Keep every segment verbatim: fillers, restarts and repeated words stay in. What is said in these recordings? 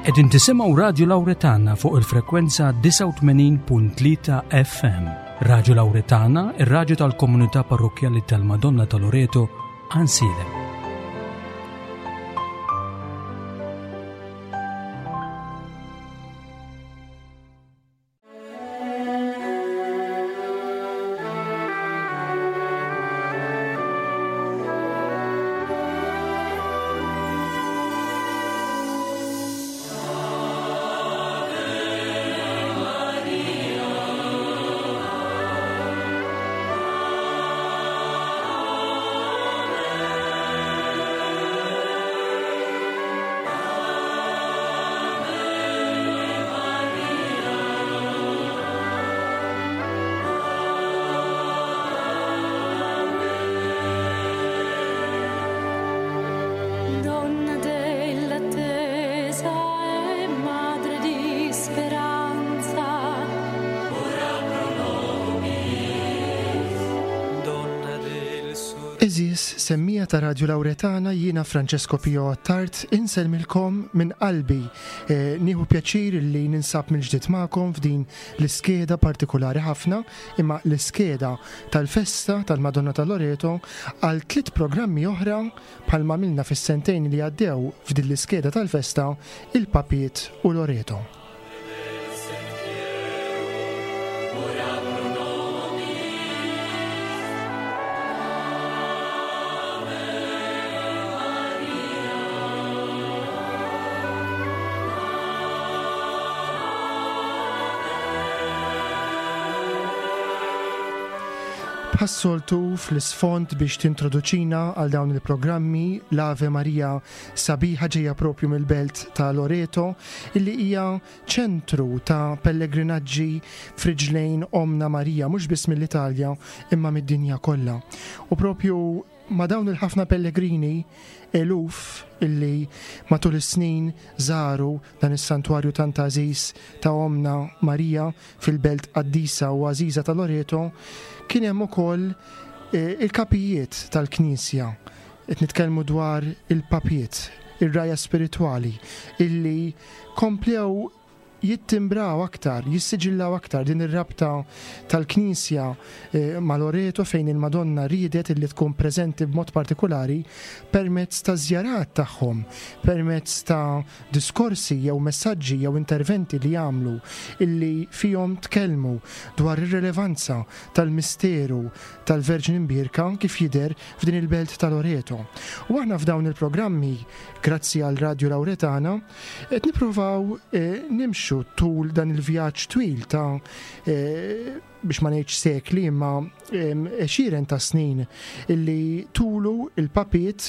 Qegħdin tisimgħu Radio Lauretana fuq il-frekwenza disgħa u tmenin punt tlieta F M. Radio Lauretana, ir-raġu tal-komunità parrokkjali tal-Madonna ta' Loreto, Għajnsielem. Donna dell'attesa e madre di speranza. Ora pro nobis. Donna del Għeżież semmiegħa ta' Radio Lauretana, jiena Francesco Pio Attard, insellmilkom minn qalbi. Eh, Nieħu pjaċir li ninsab mill-ġdid magħkom f'din l-iskeda partikolari ħafna, imma l-iskeda tal-festa tal-Madonna ta' Loreto għal tliet programmi oħra bħalma għamilna fis-sentejn li għaddew f'din l-iskeda tal-festa, il-Papiet u Loreto. Ora pro nobis. Ave Maria. Bħas-soltu, fl-isfond biex tintroduċina għal dawn il-programmi l-Ave Maria sabiħa ġejja propju mill-belt ta' Loreto, illi hija ċentru ta' pellegrinaġġi f'riġlejn Omna Marija, mhux biss mill-Italja imma mid-dinja kollha. U propju ma' dawn il-ħafna pellegrini, eluf illi matul is-snin żaru dan is-santwarju tant għażiż ta' Omna Marija fil-belt qaddisa u għażiża ta' Loreto, kien hemm ukoll eh, il-kapijiet tal-Knisja. Qed nitkellmu dwar il-papiet, ir-rgħajja spiritwali illi komplew jittimbraw aktar, jissiġillaw aktar din ir-rabta tal-Knisja eh, ma' Loreto, fejn il-Madonna riedet illi tkun preżenti b'mod partikolari permezz ta' żjarat tagħhom, permezz ta' diskorsi jew messaġġi jew interventi li jagħmlu illi fihom tkellmu dwar ir-relevanza tal-misteru tal-Verġni Mbierka kif jidher f'din il-belt ta' Loreto. U aħna f'dawn il-programmi, grazzi għal Radio Lauretana, qed nippruvaw eh, nimxu tul dan il-vjaġġ twil ta' eh, biex ma ngħidx sekli, imma em, għexieren ta' snin illi tulu il-papiet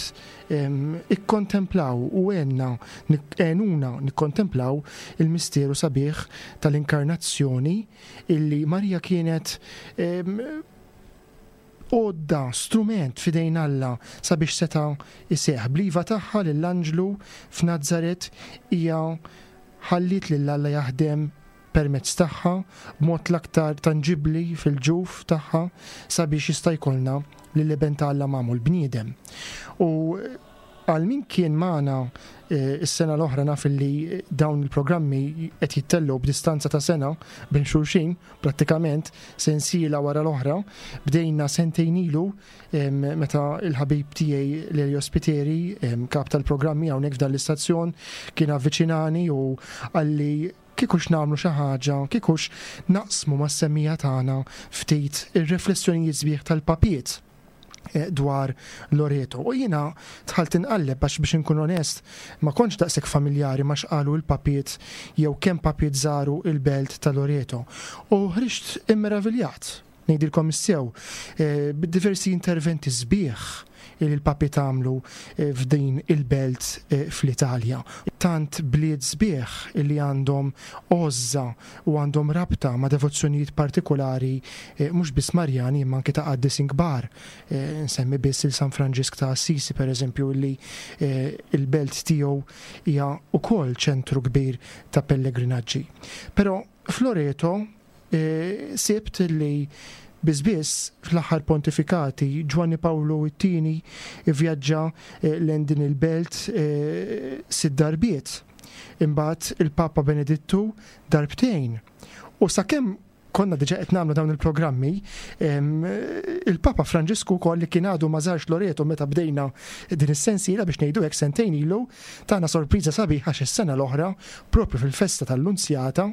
em, ikkontemplaw u għenna għenuna nikkontemplaw il-misteru sabiħ tal-inkarnazzjoni, illi Marija kienet em, għodda, strument f'idejn Alla sabiex seta' iseħ. Bl-iva tagħha lill-anġlu f'Nazaret, hija ħallit lil Alla jaħdem permezz tagħha b'mod l-aktar tanġibli fil-ġuf tagħha sabiex jista' jkollna lill-Iben ta' Alla magħmul bniedem. U għal min kien magħna eh, is-sena l-oħra, naf li dawn il-programmi qed jittellgħu b'distanza ta' sena bejn xulxin, prattikament sensiela wara l-oħra. Bdejna sentejn ilu em, meta il-ħabib tiegħi Lelio Spiteri, em, kap tal-programmi hawnhekk f'dan l-istazzjon, kien avviċinani u qalli kieku nagħmlu xi ħaġa, kieku naqsmu mas-semmiegħa tagħna ftit ir-riflessjonijiet sbieħ tal-papiet eh, dwar Loreto. U jiena dħalt inqalleb għax, biex inkun onest, ma kontx daqshekk familjari ma x'qalu l-papiet jew kemm papiet żaru il-belt ta' Loreto. U ħriġt immeraviljat, ngħidilkom is-sew, eh, b'diversi interventi sbieħ li l-papiet għamlu eh, f'din il-belt eh, fl-Italja. Tant bliet sbieħ li għandhom għożża u għandhom rabta ma' devozzjonijiet partikolari, eh, mhux biss Marjani imma anke ta' qaddisin kbar. Eh, Nsemmi biss il San Franġisk ta' Assisi, per eżempju, li eh, il-belt tiegħu hija ukoll ċentru kbir ta' pellegrinaġġi. Però f'Loreto eh, sibt li Bizbiss fl-aħħar pontifikati Ġwanni Pawlu it-tieni ivvjaġġa eh, lejn din il-belt eh, sitt darbiet. Imbagħad il-Papa Benedittu darbtejn. U sakemm konna diġa qed nagħmlu dawn il-programmi, il-Papa Franġisku wkoll li kien għadu ma żarx Loreto meta bdejna din is-sensiela biex ngħidu hekk sentejn ilu, tana sorpriża sabiħa għax is-sena l-oħra propju fil-festa tal-Lunzjata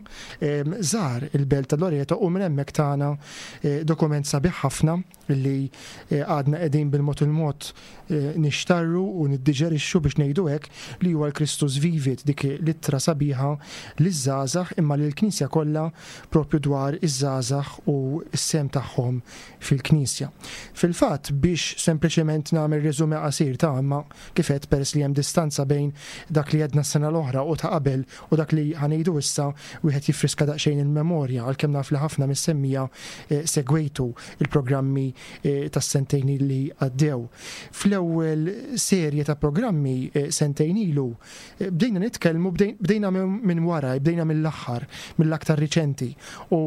żar il-belt ta' Loreto u minn hemmhekk tana eh, dokument sabiħ ħafna li eh, għadna qegħdin bil-mod il-mod eh, nixtarru u niddiġerixxu biex ngħidu hekk li huwa l-Christus Vivit, dik l-ittra sabiħa liż-żgħażagħ imma lill-Knisja kollha propju dwar iż-żgħażagħ u s-sehem tagħhom fil-Knisja. Fil-fatt biex sempliċement nagħmel resume qasir ta' imma kif għedt peress li hemm distanza bejn dak li għedna s-sena l-oħra u ta' qabel u dak li ħa ngħidu issa wieħed jiffriska daqsxejn il-memorja għalkemm naf li ħafna mis-semmiegħa eh, segwejtu il-programmi eh, tas-sentejn li għaddew. Fl-ewwel serje ta' programmi eh, sentejn ilu bdejna nitkellmu bdejna minn wara, bdejna mill-aħħar, mill-aktar riċenti. U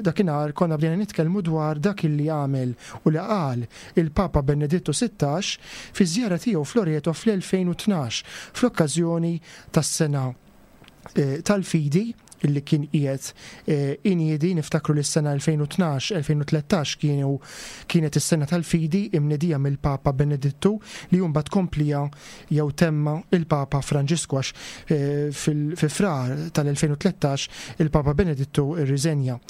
dakinhar konna bdejna nitkellmu dwar dak li għamel u li qal il-Papa Benedittu sittax fi żjara tiegħu f'Loreto fl-elfejn u tnax fl-okkażjoni tas-sena eh, tal-fidi illi kien qiegħed eh, iniedi. Niftakru li s-sena elfejn u tnax, elfejn u tlettax kienu, kienet is-sena tal-fidi imnedija mill-Papa Benedittu li mbagħad komplija jew temma il-Papa Franġisku għax, eh, fil-, fi frar tal-elfejn u tlettax il-Papa Benedittu irriżenja.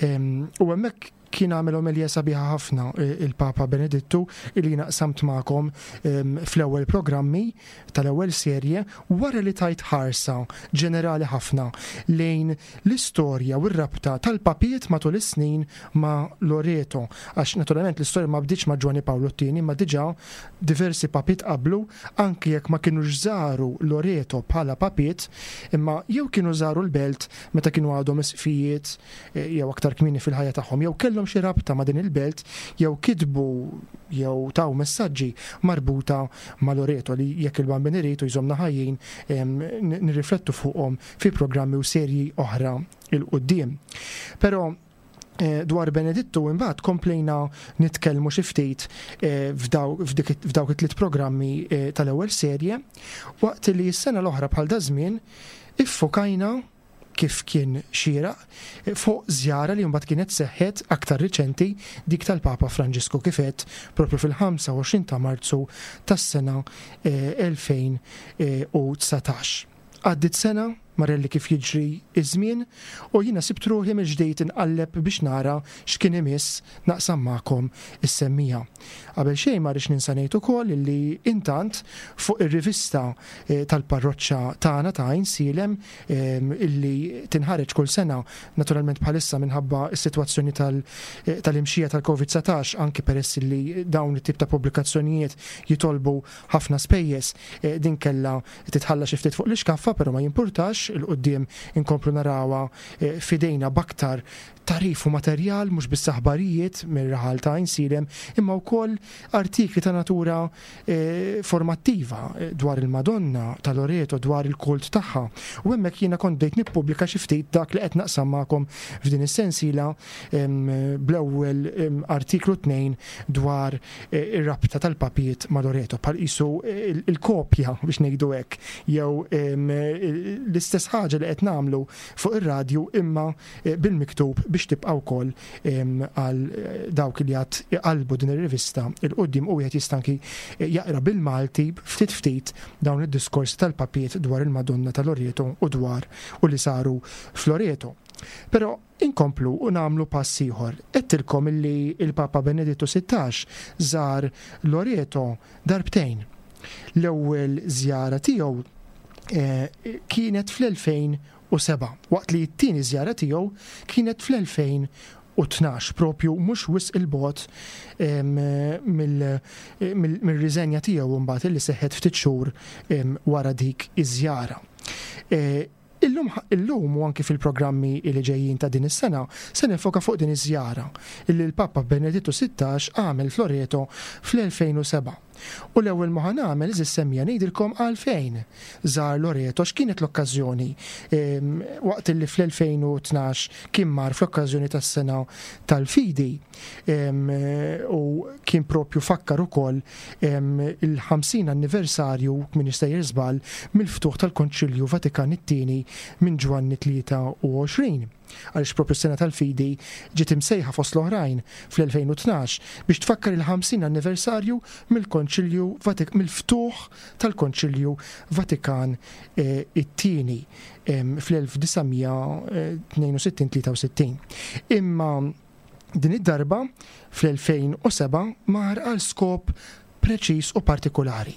Em, u hemmhekk kien għamel omelija sabiħa ħafna, eh, il-Papa Benedittu illi naqsamt magħkom, em, fl-ewwel programmi tal-ewwel serje wara li tajt ħarsa ġenerali ħafna lejn l-istorja u r-rabta tal-papiet matul is-snin ma' Loreto. Għax naturalment l-istorja ma bdietx ma' Ġwanni Pawlu t-tieni, ma diġà diversi papiet qablu, anki jekk ma kienux żaru Loreto bħala papiet, imma jew kienu żaru l-belt meta kienu għadhom isqfijiet, eh, jew aktar kmieni fil-ħajja tagħhom, jew kellhom xi rabta ma' din il-belt, jew kitbu jew taw messaġġi marbuta ma' Loreto li jekk il-Bambin irid u jżommna ħajjin, em, n-, nirriflettu fuqhom fi programmi u serji oħra il-quddiem. Però, eh, dwar Benedittu imbagħad komplejna nitkellmu xi ftit, eh, f'daw, f'dik, f'dawk it-tliet programmi, eh, tal-ewwel serje, waqt li s-sena l-oħra bħal dażmien iffokajna kif kien xieraq fuq żjara li mbagħad kienet seħħet aktar riċenti, dik tal-Papa Franġisku kif għedt propju fil-ħamsa u għoxrin ta' Marzu tas-sena, eh, elfejn, eh, u dsatax. Għaddit sena marelli kif jiġri iż-żmien u jiena sibt ruħi mill-ġdid inqalleb biex nara x'kien imiss naqsam magħkom is-semmiegħa. Qabel xejn ma rridx ninsa ngħid ukoll li intant fuq ir-rivista, eh, tal-parroċċa tagħna ta' Għajnsielem, ehm, illi tinħareġ kull sena, naturalment bħalissa minħabba s-sitwazzjoni tal-, eh, tal-imxija tal-Covid dsatax, anki peress li dawn it-tip ta' pubblikazzjonijiet jitolbu ħafna spejjeż, eh, din kellha titħalla xi ftit fuq l-iskaffa, però ma jimpurtax, il-qudiem inkomplu narawha, eh, fidejna b'aktar tarif u materjal, mhux biss aħbarijiet mir-raħal ta' Għajnsielem, imma wkoll artikli ta' natura, eh, formattiva, eh, dwar il-Madonna ta' Loreto, dwar il-kult tagħha. U hemmhekk jiena kont bdejt nippubblika xi ftit dak li qed naqsam magħkom f'din is-sensiela, em, bl-ewwel, em, artiklu tnejn dwar, eh, ir-rabta tal-papiet ma' Loreto, bħal qisu, eh, il-, il-kopja biex ngħidu hekk, jew, em, l-istess ħaġa li qed nagħmlu fuq ir-radju imma, eh, bil-miktub biex tibqa' wkoll, em, għal, eh, dawk li għad iqalbu din ir-rivista il-qudiem u wieħed jista' anki, eh, jaqra bil-Malti ftit ftit dawn id-diskorsi tal-papiet dwar il-Madonna ta' Loreto u dwar u li saru f'Loreto. Però inkomplu u nagħmlu pass ieħor. Għedtilkom illi il-Papa Benedittu sittax żar Loreto darbtejn. L-ewwel żjara tiegħu, eh, kienet fl-elfejn u seba', waqt li t-tieni żjara tiegħu kienet fl-elfejn u tnax, propju mhux wisq il-bogħod, em, mill-, mill-, mill-riżenja tiegħu mbagħad li seħħet ftit xhur, em, wara dik iż-żjara. Eh, illum, illum u anki fil-programmi li ġejjin ta' din is-sena se nifoka fuq din iż-żjara illi l-Papa Benedittu sittax għamel f'Loreto fl-elfejn u seba'. U l-ewwel ma nagħmel iż semmija ngħidilkom għalfejn żar Loreto, x'kienet l-okkażjoni waqt li fl-elfejn u tnax kien mar fl-okkażjoni tas-sena tal-fidi, u kien propju fakkar ukoll il-ħamsin anniversarju, min jista' żball, mill-ftuħ tal-Konċilju Vatikan it-tieni minn Ġwanni tlieta u għoxrin. Għaliex propju s-sena tal-fidi ġiet imsejħa fost l-oħrajn fl-elfejn u tnax biex tfakkar il-ħamsin anniversarju mill-Konċilju Vatik-, mill-ftuħ tal-Konċilju Vatikan, eh, it-tieni, em, fl-elf disa' mija tnejn u sittin, tlieta u sittin. Imma din id-darba fl-elfejn u seba' mar għal skop preċiż u partikolari.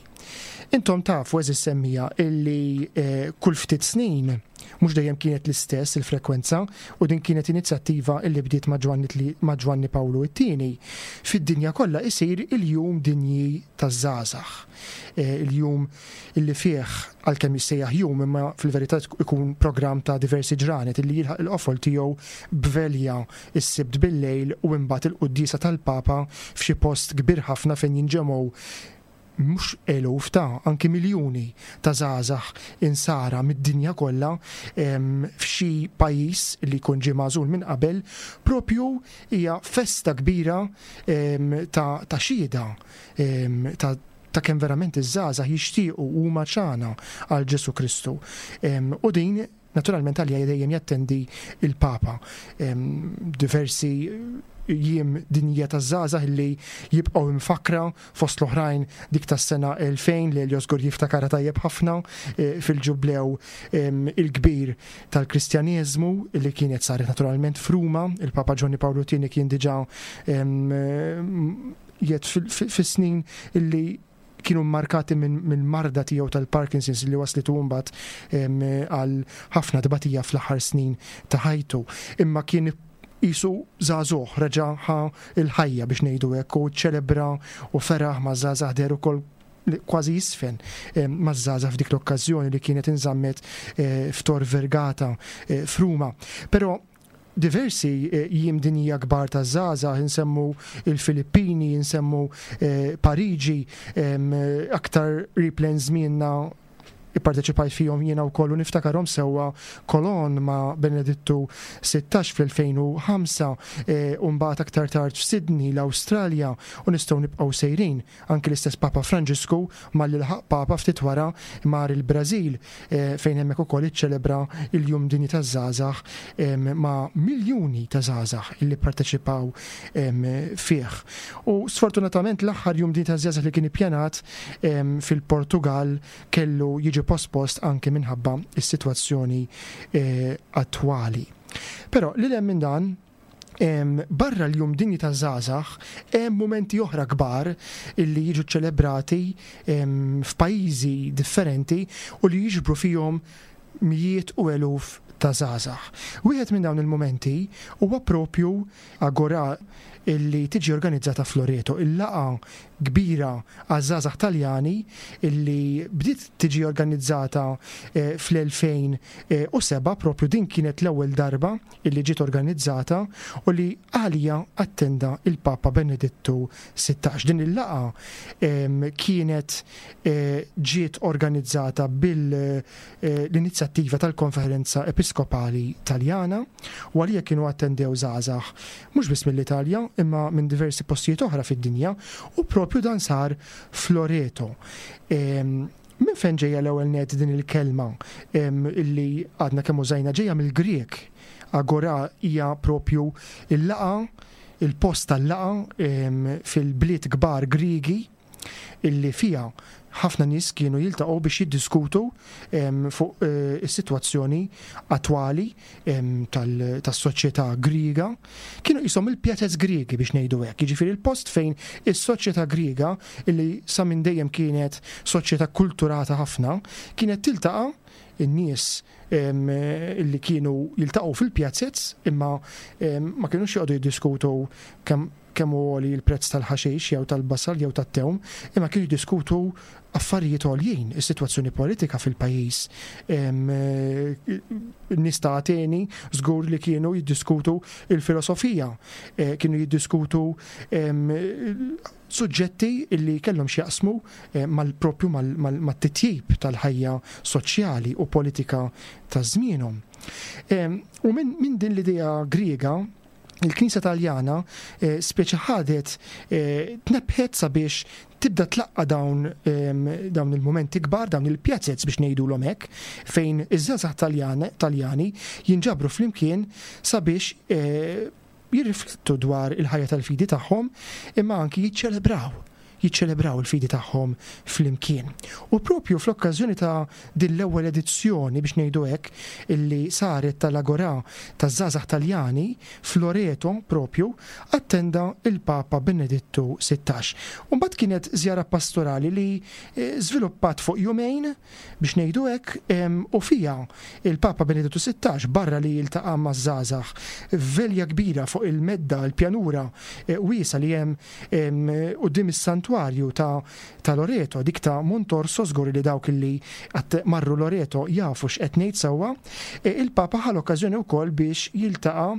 Intom tafu, eżis semmija, illi, eh, kull ftit snin, mhux dejjem kienet l-istess il-frekwenza, u din kienet inizjattiva illi bdiet ma' Ġwanni tli-, ma' Ġwanni Pawlu it-tieni. Fid-dinja kollha isir il-jum dinji taż-żgħażagħ. Eh, il-jum illi fih, għalkemm jissejjaħ jum, imma fil-verità ikun programm ta' diversi ġranet illi jilħaq il-qofol tiegħu b'velja s-Sibt bil-lejl u imbagħad il-quddiesa tal-Papa f'xi post kbir ħafna fejn jinġemgħu mhux eluf ta' anki miljuni ta' żgħażagħ insara mid-dinja kollha, em, f'xi pajjiż li jkun ġie magħżul minn qabel, propju hija festa kbira, em, ta', ta' xhieda, em, ta', ta' kemm verament iż-żgħażagħ jixtiequ huma ċana għal Ġesu Kristu. Em, u din naturalment għalija dejjem jattendi il-Papa. Em, diversi jiem dinja taż-żgħażagħ li jibqgħu imfakra fost l-oħrajn dik tas-sena elfejn li Elio żgur jiftakara tajjeb ħafna, eh, fil-ġublew, em, il-kbir tal-Kristjaneżmu li kienet saret naturalment f'Ruma. Il-Papa Ġwanni Pawlu tieni kien diġà, em, jgħid fil-, fil-, fis-snin illi kienu markati minn, minn marda tiegħu tal-Parkinson's li waslitu mbagħad, em, għal ħafna tbatija fl-aħħar snin ta' ħajtu. Imma kien jisu żagħżugħ, reġa' ħa il-ħajja biex ngħidu hekk, u ċelebra u feraħ ma' żgħażagħ, deher ukoll kważi jisfen, em, ma' żgħażagħ f'dik l-okkażjoni li kienet inżammet, eh, f'Tor Vergata, eh, f'Ruma. Però diversi, eh, jiem dinja kbar ta' żgħażagħ, insemmu il-Filippini, insemmu, eh, Pariġi, em, aktar riplen żmienna ipparteċipajt fihom jiena wkoll u niftakarhom sewwa Kolon ma' Benedittu sittax fl-elfejn u ħamsa, eh, u mbagħad aktar tard f'Sydney, l-Awstralja, u nistgħu nibqgħu sejrin. Anki l-istess Papa Franġisku malli laħaq Papa ftit wara mar il-Brażil, eh, fejn hemmhekk ukoll iċċelebra il-Jum Dinji taż-Żgħażagħ, em, ma' miljuni ta' żgħażagħ illi pparteċipaw, em, fih. U sfortunatament l-aħħar Jum Dinji taż-Żgħażagħ li kien ippjanat, em, fil-Portugal kellu jiġi pospost anke minħabba is-sitwazzjoni, eh, attwali. Però li hemm minn dan, em, barra l-Jum Dinji taż-Żgħażagħ hemm mumenti oħra kbar illi jiġu ċelebrati, em, f'pajjiżi differenti u li jiġbru fihom mijiet u eluf ta' żgħażagħ. Wieħed minn dawn il-mumenti huwa propju Agora illi tiġi organizzata f'Loreto, il-laqgħa kbira għaż-żgħażagħ Taljani illi bdiet tiġi organizzata, eh, fl-elfejn, eh, u seba', propju din kienet l-ewwel darba illi ġiet organizzata u li għalija attenda il-Papa Benedittu sittax. Din il-laqgħa, em, kienet, eh, ġiet organizzata bil, eh, l-inizjattiva tal-Konferenza Episkopali Taljana u għalija kienu attendew żgħażagħ mhux biss mill-Italja imma minn diversi postijiet oħra fid-dinja, u propju dan sar f'Loreto. Em, minn fejn ġejja l-ewwel net din il-kelma, em, illi għadna kemm użajna? Ġejja mill-Grek. Agora hija propju il-laqgħa, il-post tal-laqgħa, em, fil-bliet kbar Griegi illi fija ħafna nies kienu jiltaqgħu biex jiddiskutu, em, fuq, eh, is-sitwazzjoni attwali, em, tal-, tas-soċjetà Griega. Kienu qishom il-pjatez Griegi biex ngħidu hekk, jiġifieri il-post fejn is-soċjetà Griega illi sa minn dejjem kienet soċjetà kulturata ħafna, kienet tiltaqa' in-nies, em, illi kienu jiltaqgħu fil-pjazzez, imma, em, ma kinux joqogħdu jiddiskutu kemm, kemm hu għoli l-prezz tal-ħaxix jew tal-basal jew tat-tewm, imma kienu jiddiskutu affarijiet għoljin, is-sitwazzjoni politika fil-pajjiż. Nies ta' Ateni żgur li kienu jiddiskutu il-filosofija, kienu jiddiskutu suġġetti illi kellhom x'jaqsmu mal-propju mat-titjib tal-ħajja soċjali u politika ta' żmienhom. U minn din l-idea Griega, il-Knisja Taljana speċi ħadet tnebħet sabiex tibda tlaqqa dawn dawn il-momenti kbar, dawn il-pjazzez biex ngħidulhom hekk, fejn iż-żgħażagħ Taljani jinġabru flimkien sabiex jirriflettu dwar il-ħajja tal-fidi tagħhom, imma anki jiċċelebraw jiċċelebraw il-fidi tagħhom flimkien. U propju fl-okkażjoni ta' din l-ewwel edizzjoni biex ngħidu hekk illi saret tal-Agora taż-żgħażagħ Taljani f'Loreto propju attenda il-Papa Benedittu sittax. U mbagħad kienet żjara pastorali li żviluppat fuq jumejn biex ngħidu hekk, u fija il-Papa Benedittu sittax barra li jiltaqa' maż-żgħażagħ f'velja kbira fuq il-medda l-pjanura wiesa li hemm quddiem is-santwarju ta', ta' Loreto, dik ta' Montorso, żgur li dawk li marru Loreto jafu x'qed ngħid sewwa. Il-Papa ħa l-okkażjoni wkoll biex jiltaqa'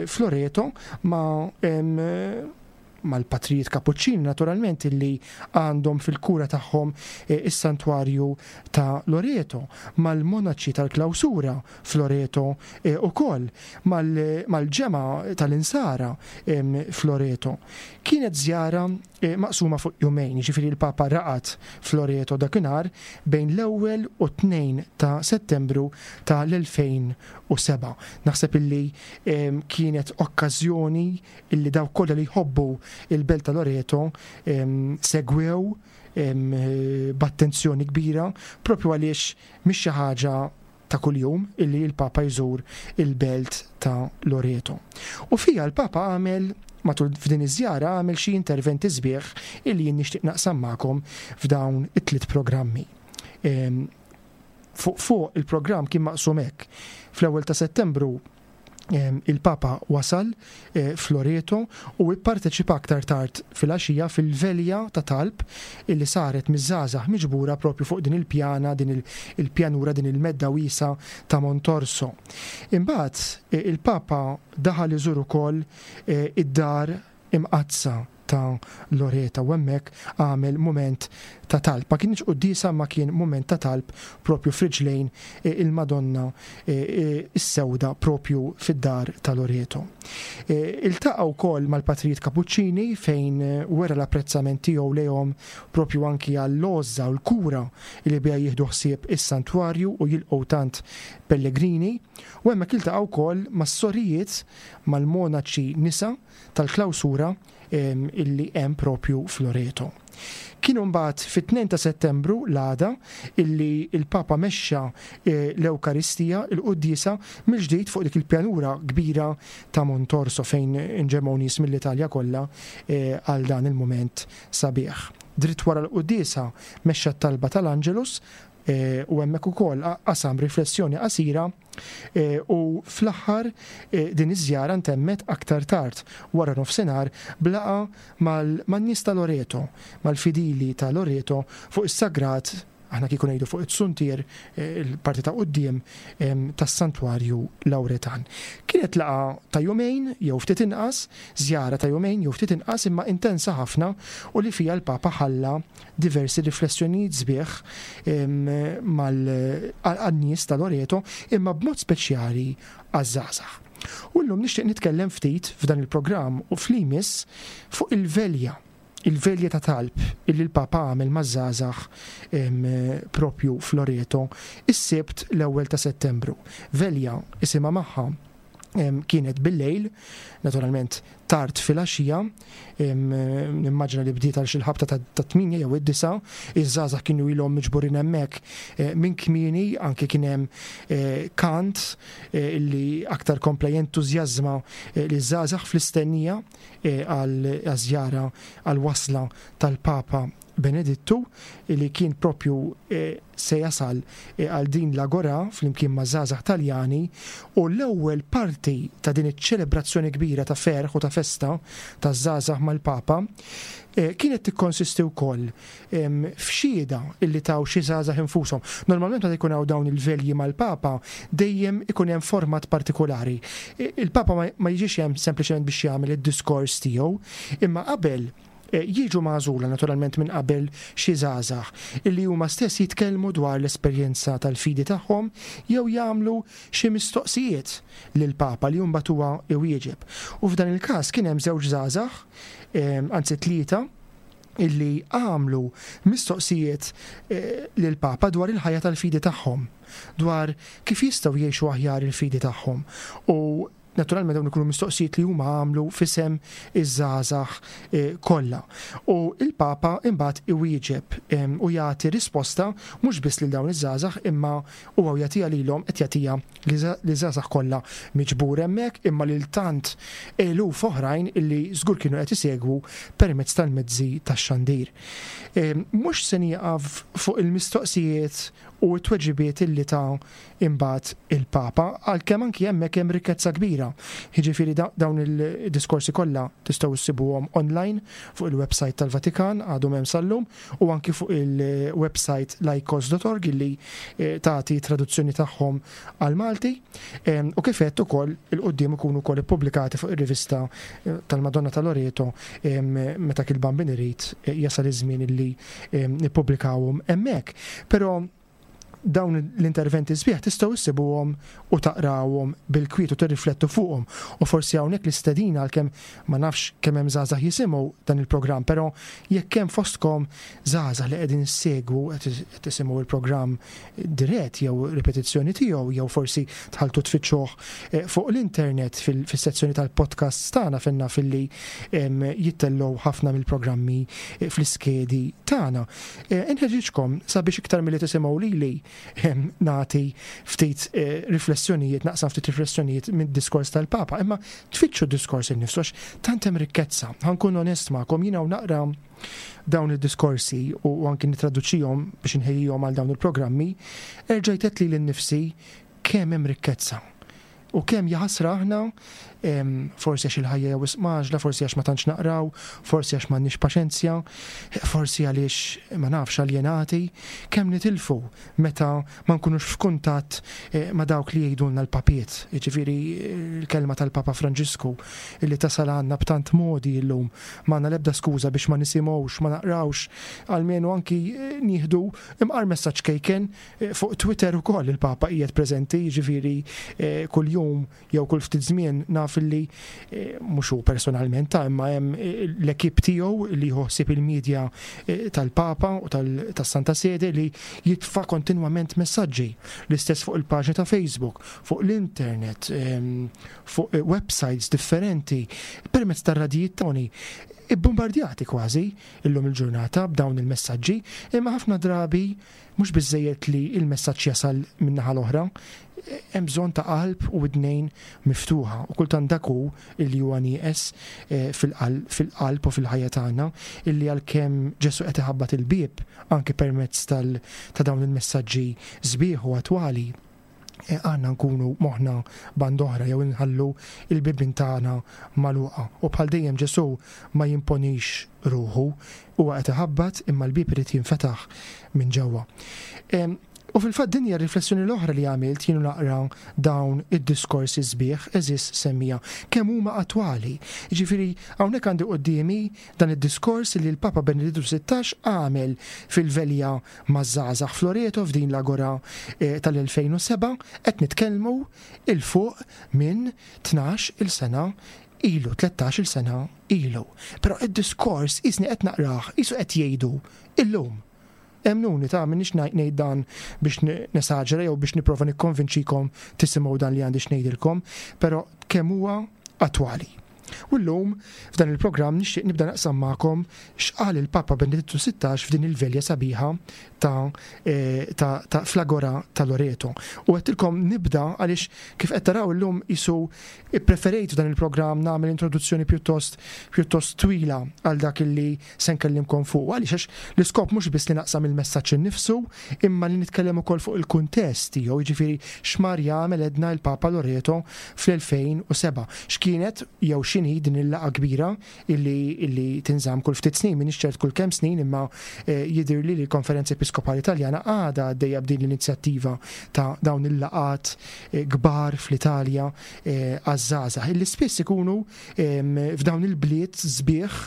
f'Loreto ma' mal-patrijiet Kapuċċini naturalment illi għandhom fil-kura tagħhom is-santwarju ta' Loreto, mal-monaċi tal-klawsura f'Loreto ukoll, mal-ġemgħa tal-Insara f'Loreto. Kienet żjara maqsuma fuq jumejn, jiġifieri l-Papa raqad f'Loreto dakinhar bejn l-ewwel u tnejn ta' Settembru tal-elfejn u seba'. Naħseb illi kienet okkażjoni illi dawk kollha li jħobbu il-belt ta' Loreto segwew b'attenzjoni kbira, propju għaliex mhix xi ħaġa ta' kuljum illi l-Papa jżur il-belt ta' Loreto. U fija l-Papa għamel matul f'din iż-żjara għamel xi interventi sbieħ illi jien nixtieq naqsam magħkom f'dawn it-tliet programmi. Fuq fuq il-programm kien maqsum hekk. Fl-ewwel ta' Settembru il-Papa wasal f'Loreto u ipparteċipa aktar tard fil-għaxija fil-velja ta' talb illi saret miż-żgħażagħ miġbura propju fuq din il-pjana, din il-pjanura, din il-medda wiesa ta' Montorso. Imbagħad il-Papa daħal iżur ukoll id-dar imqaddsa ta' Loreto u hemmhekk għamel mument ta' talb. Ma kienx quddiesa, ma kien mument ta' talb propju friġlejn il-Madonna is-Sewda propju fid-dar ta' Loreto. Iltaqa' wkoll mal-Patrijiet Kapuċċini fejn wera l-apprezzament tiegħu lejhom propju anki għall-għożża u l-kura li biha jieħdu ħsieb is-santwarju u jilqgħu tant pellegrini, u hemmhekk iltaqa' wkoll mas-sorijiet mal-monaċi nisa tal-klawsura illi hemm propju f'Loreto. Kienu mbagħad fit-tnejn ta' Settembru l-għada illi il-Papa mexxa l-Ewkaristija, il-quddiesa mill-ġdid fuq dik il-pjanura kbira ta' Montorso fejn inġemgħu nies mill-Italja kollha għal dan il-mument sabiħ. Dritt wara l-quddiesa mexxa t-talba tal-Angelus u hemmhekk ukoll qasam riflessjoni qasira, u fl-aħħar din iż-żjara ntemmet aktar tard wara nofsinhar blaqa man-nies ta' Loreto, mal-fidili ta' Loreto fuq is-sagrat, aħna kieku ngħidu fuq it-suntier, il-parti ta' quddiem tas-santwarju Lauretan. Kienet laqa ta' jumejn jew ftit inqas, żjara ta' jumejn jew ftit inqas, imma intensa ħafna u li fija l-Papa ħalla diversi riflessjonijiet sbieħ mal-nies ta' Loreto, imma b'mod speċjali għaż-żgħażagħ. U llum nixtieq nitkellem ftit f'dan il-programm u fl-imis fuq il-velja, il-velja ta' talb illi l-Papa għamel maż-żgħażagħ propju f'Loreto is-Sibt l-ewwel ta' Settembru. Velja isimha magħha kienet bil-lejl, naturalment tard filgħaxija, nimmaġina li bdiet għal xi ħabta ta' tminja jew id-disa, iż-żgħażagħ kienu ilhom miġburin hemmhekk minn kmieni, anke kien hemm kant illi aktar kompla jentużjażma liż-żgħażagħ fl-istennija għal żjara għal wasla tal-Papa Benedittu li kien propju eh, se jasal eh, għal din l-agora flimkien ma' żgħażagħ Taljani, u l-ewwel parti ta' din iċ-ċelebrazzjoni kbira ta' ferħ u ta' festa ta' żgħażagħ mal-Papa eh, kienet tikkonsisti wkoll f'xhieda illi taw xi żgħażagħ infushom. Normalment meta jkun hawn dawn il-velji mal-Papa dejjem ikun hemm format partikolari. Il-Papa ma jiġix hemm sempliċement biex jagħmel id-diskors tiegħu, imma qabel jiġu magħżula naturalment minn qabel xi żgħażagħ illi huma stess jitkellmu dwar l-esperjenza tal-fidi tagħhom jew jagħmlu xi mistoqsijiet lill-Papa li mbagħad huwa iwieġeb. U f'dan il-każ kien hemm żewġ żgħażagħ, anzi tlieta, illi għamlu mistoqsijiet lill-Papa dwar il-ħajja tal-fidi tagħhom, dwar kif jistgħu jgħixu aħjar il-fidi tagħhom. U naturalment dawn ikunu mistoqsijiet li huma għamlu f'isem iż-żgħażagħ kollha. U il-Papa imbagħad iwieġeb u jagħti risposta mhux biss lil dawn iż-żgħażagħ, imma huwa jagħtiha lilhom, qed jagħtiha liż-żgħażagħ kollha miġbur hemmhekk, imma lil tant eluf oħrajn illi żgur kienu qed isegwu permezz tal-mezzi tax-xandir. Mhux se nieqaf fuq il-mistoqsijiet u t-tweġibiet illi ta' imbagħad il-Papa, għalkemm anki hemmhekk hemm rikkezza kbira. Jiġifieri dawn il-diskorsi kollha tistgħu issibuhom online fuq il-website tal-Vatikan, għadhom hemm sal-lum, u anki fuq il-website laikos dot org illi tagħti traduzzjoni tagħhom għal-Malti, u kif għedt ukoll il-quddiem ikunu wkoll ippubblikati fuq ir-rivista tal-Madonna ta' Loreto meta kil-Bambin irid jasal iż-żmien illi nippubblikawhom hemmhekk. Però dawn l-interventi sbieħ tistgħu issibuhom u taqrawhom bil-kwiet u tirriflettu fuqhom. U forsi hawnhekk l-istedina, għalkemm ma nafx kemm hemm żgħażagħ jisimgħu dan il-programm, però jekk hemm fostkom żgħażagħ li qegħdin issegwu, qed tisimgħu il-programm dirett jew ripetizzjoni tiegħu, jew forsi tħaltu tfittxuh fuq l-internet fis-sezzjoni tal-podcast tagħna fejn naf illi jittellgħu ħafna mill-programmi fl-iskedi tagħna. Inħeġġiġkom sabiex iktar milli tisimgħu lili nagħti ftit riflessjonijiet, naqsam ftit riflessjonijiet mid-diskors tal-Papa, imma tfittxu d-diskors innifsu għax tant hemm rikkezza. Ħa nkun onest magħkom, jiena u naqra dawn id-diskorsi u anki nittraduċihom biex inħejjihom għal dawn il-programmi, erġajt għedt lili nnifsi kemm hemm rikkezza. U kemm jaħasra aħna, forsi għax il-ħajja jew mgħaġġla, forsi għax ma tantx naqraw, forsi għax m'għandniex paċenzja, forsi għaliex ma nafx aljenati, kemm nitilfu meta ma nkunux f'kuntatt ma' dawk li jgħidulna l-papiet. Jiġifieri l-kelma tal-Papa Franġisku illi tasal għandna b'tant modi llum, m'għandna l-ebda skuża biex ma nisimgħux, ma naqrawx, almenu anki nieħdu imqar messaġġ kejken fuq Twitter ukoll il-Papa qiegħed preżenti, jiġifieri kuljum jew kull ftit żmien naf illi mhux hu personalment ta' imma hemm l-ekip tiegħu li jħossib il-medja tal-Papa u tas-Santa Sede li jitfa' kontinwament messaġġi, l-istess fuq il-paġna ta' Facebook, fuq l-internet, fuq websites differenti, permezz tar-radijiet tagħni, ibbombardjati kważi illum il-ġurnata b'dawn il-messaġġi, imma ħafna drabi mhux biżżejjed li il-messaġġ jasal min-naħa l-oħra, hemm bżonn ta' qalb u widnejn miftuħa, u kultant dak hu illi huwa nieqes fil-qalb u fil-ħajja tagħna, illi għalkemm Ġesu qed iħabbat il-bieb anke permezz ta' dawn il-messaġġi sbieħ u attwali, għandna nkunu moħħna band oħra jew inħallu il-bibien tagħna magħluqa. U bħal dejjem Ġesu ma jimponix ruħu, huwa qed iħabbat imma l-bieb irid jinfetaħ minn ġewwa. U fil-fatt din hija r-riflessjoni l-oħra li għamilt jien naqra dawn id-diskorsi sbieħ, eżis semmija, kemm huma attwali. Jiġifieri hawnhekk għandi quddiemi dan id-diskors li l-Papa Benedittu sittax għamel fil-velja maż-żgħażagħ f'Loreto f'din l-agora tal-elfejn u seba', qed nitkellmu il fuq minn tnax il sena ilu, tlettax il sena ilu. Però id-diskors isni qed naqrah, isu qed jgħidu illum. Emnuni ta' minnix ngħid dan biex nesaġera jew biex nipprova nikkonvinċikom tisimgħu dan li għandi x'ngħidilkom, però kemm huwa attwali. U llum f'dan il-programm nixtieq nibda naqsam magħkom x'qal il-Papa Benedittu sittax f'din il-velja sabiħa ta', eh, ta, ta fl-Agora ta' Loreto. U għedtilkom nibda għaliex kif qed taraw illum isu preferejt dan il-programm nagħmel introduzzjoni pjuttost pjuttost twila għal dak illi se nkellimkom fuq. Għaliex għax l-iskop mhux biss li naqsam il-messaġġ innifsu, imma li nitkellem ukoll fuq il-kuntest tiegħu, jiġifieri x'mar jagħmel edna il-Papa Loreto fl-elfejn u seba'. X'kienet jew x'inhi din il-laqgħa kbira illi, illi tinżamm kull ftit snin, m'iniex ċert kull kemm snin, imma, eh, jidhirli li l-Konferenza Episkopali Italjana għadha għaddejja b'din l-inizjattiva ta' dawn il-laqgħat, eh, kbar fl-Italja, eh, għaż-żgħażagħ, illi spiss ikunu, ehm, f'dawn il-bliet sbieħ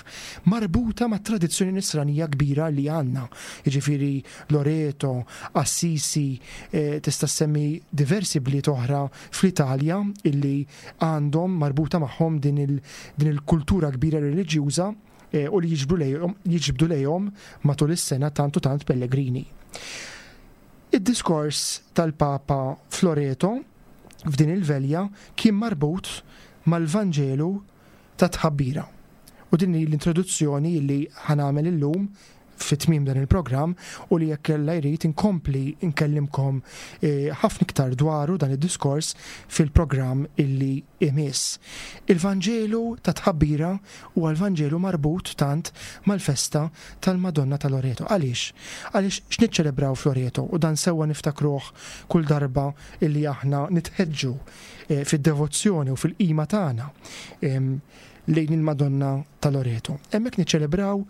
marbuta ma' tradizzjoni nisranija kbira li għandna. Jiġifieri Loreto, Assisi, eh, tista' semmi diversi bliet oħra fl-Italja illi għandhom marbuta magħhom din il-, din il-kultura kbira reliġjuża, eh, u li jiġbdu lejhom, jiġbdu lejhom matul is-sena tant u tant pellegrini. Id-diskors tal-Papa Floreto f'din il-velja kien marbut mal-Vanġelu ta' tħabbira. U din hi l-introduzzjoni li ħanamel illum fi tmiem dan il-programm u li jekk Alla jrid inkompli nkellimkom, eh, ħafna iktar dwaru dan id-diskors fil-programm illi imiss. Il-Vanġelu ta' tħabbira huwa l-Vanġelu marbut tant mal-festa tal-Madonna ta' Loreto. Għaliex? Għaliex x'niċċelebraw f'Loreto? U dan sewwa niftakruh kull darba illi aħna nitħeġġu, eh, fid-devozzjoni u fil-qima tagħna, em, lejn il-Madonna ta' Loreto. Hemmhekk niċċelebraw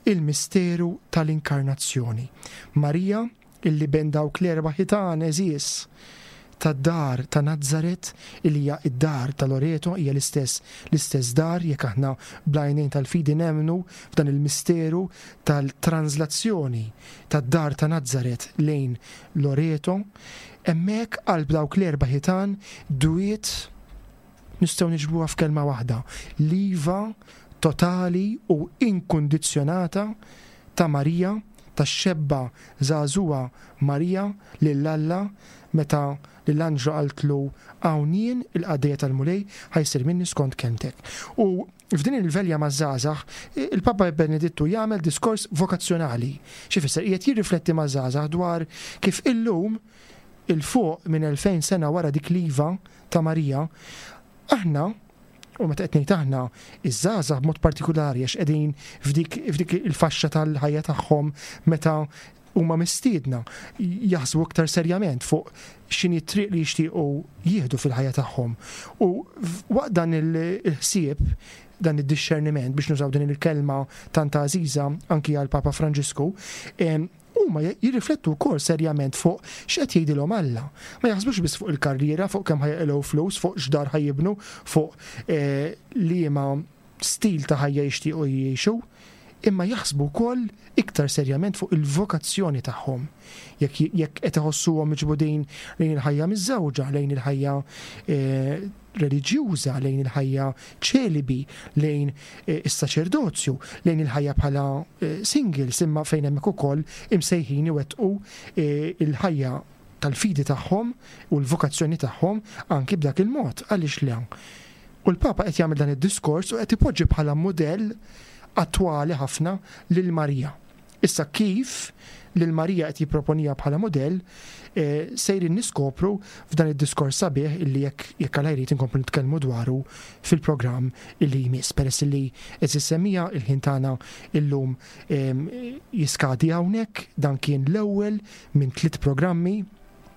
il-misteru tal-inkarnazzjoni. Marija, illi bejn dawk l-erba' ħitan għeżież tad-dar ta' Nazzaret, illi hija id-dar ta' Loreto, hija l-istess, l-istess dar, jekk aħna bl-għajnejn tal-fidi nemmnu f'dan il-misteru tal-translazzjoni tad-dar ta' Nazzaret lejn Loreto, hemmhekk qalb dawk l-erba' ħitan dwiet nistgħu niġbruha f'kelma waħda, l-iva totali u inkundizzjonata ta' Marija, tax-xebba żagħżugħa Marija lil Alla meta lill-anġlu qaltlu hawn jien il-qaddejja tal-Mulej ħajsir minni skont kelmtek. U f'din il-velja maż-żgħażagħ, il-Papa Benedittu jagħmel diskors vokazzjonali. Xi fisser? Qiegħed jirrifletti maż-żgħażagħ dwar kif illum il-fuq minn elfejn sena wara dik l-iva ta' Marija, aħna, u meta qed ngħid aħna, iż-żgħażagħ b'mod partikolari għax qegħdin f'dik, f'dik il-faxxa tal-ħajja tagħhom meta huma mistiedna jaħsbu iktar serjament fuq x'inhi t-triq li jixtiequ jieħdu fil-ħajja tagħhom. U waqt dan il-ħsieb, dan id-discerniment, biex nużaw din il-kelma tant għażiża anki għal Papa Franġisku, em, huma jirriflettu wkoll serjament fuq x'qed jgħidilhom Alla. Ma jaħsbux biss fuq il-karriera, fuq kemm ħajqilgħu flus, fuq x'dar ħajibnu, fuq, eh, liema stil ta' ħajja jixtiequ jgħixu, imma jaħsbu wkoll iktar serjament fuq il-vokazzjoni tagħhom. Jekk, jekk qed iħossuhom miġbudin lejn il-ħajja miż-żewġa, lejn il-ħajja, eh, reliġjuża, lejn il-ħajja ċelibi, lejn, eh, is-saċerdozju, lejn il-ħajja bħala, eh, singles, imma fejn hemmhekk ukoll imsejħin iwettqu, eh, il-ħajja tal-fidi tagħhom u l-vokazzjoni tagħhom anki b'dak il-mod. Għaliex le? U l-Papa qed jagħmel dan id-diskors u qed ipoġġi bħala mudell attwali ħafna lil Marija. Issa kif lil Marija qed jipproponija bħala mudell, eh, sejrin niskopru f'dan id-diskors sabiħ illi jekk, jekk Alla jrid inkomplu nitkellmu dwaru fil-programm illi jmiss. Peress illi qed issemmija il-ħin tagħna illum, em, jiskadi hawnhekk, dan kien l-ewwel minn tliet programmi,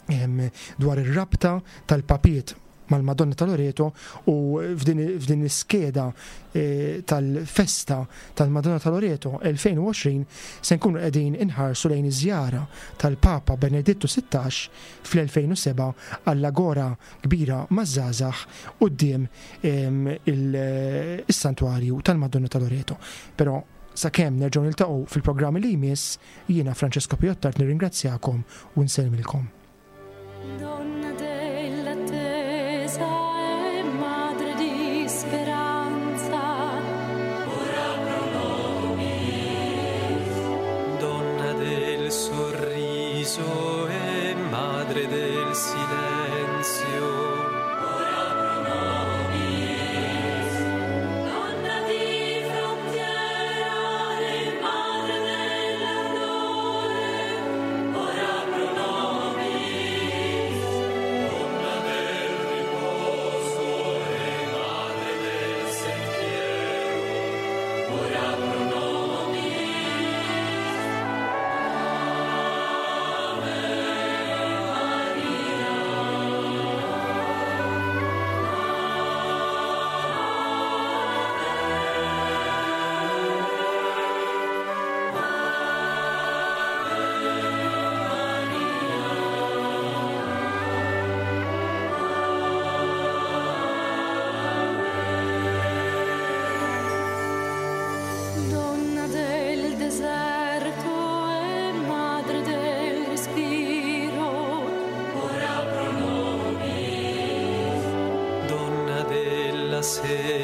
em, dwar ir-rabta tal-papiet mal-Madonna ta' Loreto u f'din, f'din l-iskeda, eh, tal-festa tal-Madonna ta' Loreto elfejn u għoxrin se nkunu qegħdin inħarsu lejn iż-żjara tal-Papa Benedittu sittax fl-elfejn u seba' għall-agora kbira maż-żgħażagħ quddiem, em, il-, is-santwarju tal-Madonna ta' Loreto. Però sakemm nerġgħu niltaqgħu fil-programmi li jmiss, jiena Francesco Piottart nirringrazzjakom u nsellmilkom. Donna dell'attesa e madre di speranza, ora pro nobis. Donna del sorriso e madre del silenzio, ora pro nobis. sera.